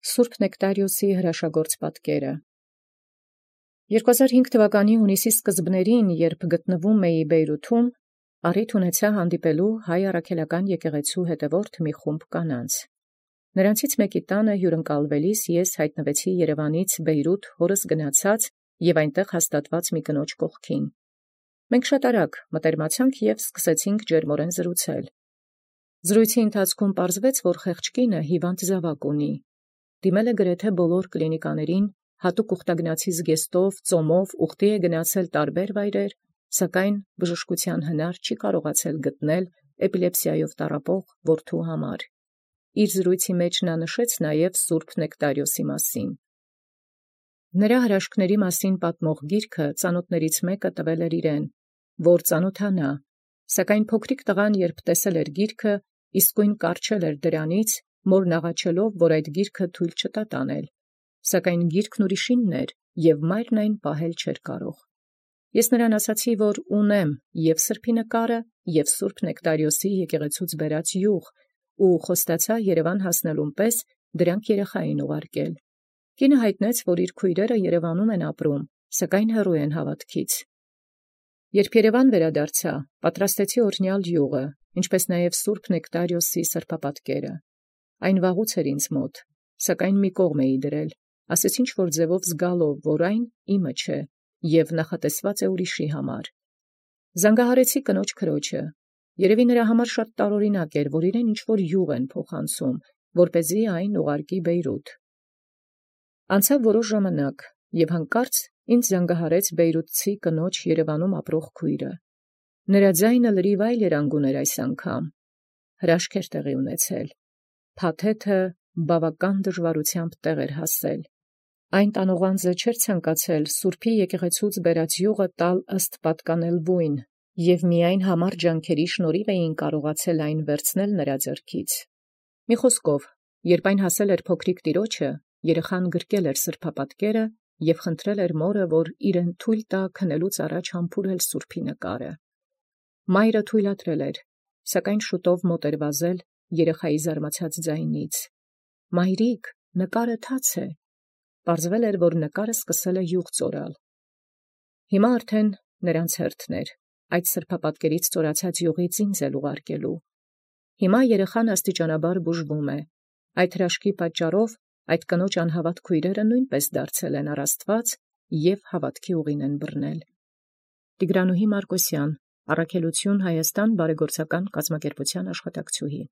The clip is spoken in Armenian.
Սուրբ Նեկտարիոսի հրաշագործ պատկերը 2005 թվականի հունիսի սկզբներին, երբ գտնվում էի Բեյրութում, առիթ ունեցա հանդիպելու հայ առաքելական եկեղեցու հետևորդ մի խումբ կանանց։ Նրանցից մեկի տանը հյուրընկալվելիս ես հայտնվեցի Երևանից Բեյրութ հորս գնացած և այնտեղ հաստատված մի կնոջ կողքին։ Մենք շատ արագ մտերմացանք և սկսեցինք ջերմորեն զրուցել։ Զրույցի ընթացքում պարզվեց, որ խեղճ կինը հիվանդ զավակ ունի։ Դիմել է գրեթե բոլոր կլինիկաներին, հատուկ ուխտագնացի զգեստով, ծոմով, ուխտի է գնացել տարբեր վայրեր, սակայն բժշկության հնար չի կարողացել գտնել էպիլեպսիայով տառապող որդու համար։ Իր զրույցի մեջ նա նշեց նաև Սուրբ Նեկտարիոսի մասին։ Նրա հրաշքների մասին պատմող գիրքը ծանոթներից մեկը տվել էր իրեն, որ ծանոթանա, սակայն փոքրիկ տղան, երբ տեսել էր գիրքը, իսկույն կառչել էր դրանից, մորն աղաչելով, որ այդ գիրքը թույլ չտա տանել, սակայն գիրքն ուրիշինն էր, և մայրն այն պահել չէր կարող։ Ես նրան ասացի, որ ունեմ և սրբի նկարը, և Սուրբ Նեկտարիոսի եկեղեցուց բերած յուղ, ու խոստացա Երևան հասնելուն պես դրանք երեխային ուղարկել։ Կինը հայտնեց, որ իր քույրերը Երևանում են ապրում, սակայն հեռու են հավատքից։ Երբ Երևան վերադարձա, պատրաստեցի օրհնյալ յուղը, ինչպես նաև Սուրբ Նեկտարիոսի սրբապատկերը։ Այն վաղուց էր ինձ մոտ, սակայն մի կողմ էի դրել, ասեցի ինչ-որ ձևով զգալով, որ այն իմը չէ, և նախատեսված է ուրիշի համար։ Զանգահարեցի կնոջ քրոջը։ Երևի նրա համար շատ տարօրինակ էր, որ իրեն ինչ-որ յուղ են փոխանցում, որպեսզի այն ուղարկի Բեյրութ։ Անցավ որոշ ժամանակ, և հանկարծ ինձ զանգահարեց բեյրութցի կնոջ Երևանում ապրող քույրը։ Նրա ձայնը լրիվ այլ երանգուն էր այս անգամ։ Հրաշք էր տեղի ունեցել։ Փաթեթը բավական դժվարությամբ տեղ էր հասել։ Այն տանողանձը չէր ցանկացել Սուրբի եկեղեցուց բերած յուղը տալ ըստ պատկանելվույն, և միայն համառ ջանքերի շնորհիվ էին կարողացել այն վերցնել նրա ձեռքից։ Մի խոսքով, երբ այն հասել էր փոքրիկ տիրոջը, երեխան գրկել էր սրբապատկերը և խնդրել էր մորը, որ իրեն թույլ տա քնելուց առաջ համբուրել սուրբի նկարը։ Մայրը թույլատրել էր, սակայն շուտով մոտ էր վազել երեխայի զարմացած ձայնից. «Մայրիկ, նկարը թաց է»։ Պարզվել էր, որ նկարը սկսել է յուղ ծորալ։ Հիմա արդեն նրանց հերթն էր, այդ սրբապատկերից ծորացած յուղից ինձ էլ ուղարկելու։ Հիմա երեխան աստիճանաբար բուժվում է։ Այդ հրաշքի պատճառով այդ կնոջ անհավատ քույրերը նույնպես դարձել են առ Աստված և հավատքի ուղին են բռնել։ Տիգրանուհի Մարկոսյան, Առաքելություն Հայաստան բարեգործական կազմակերպության աշխատակցուհի։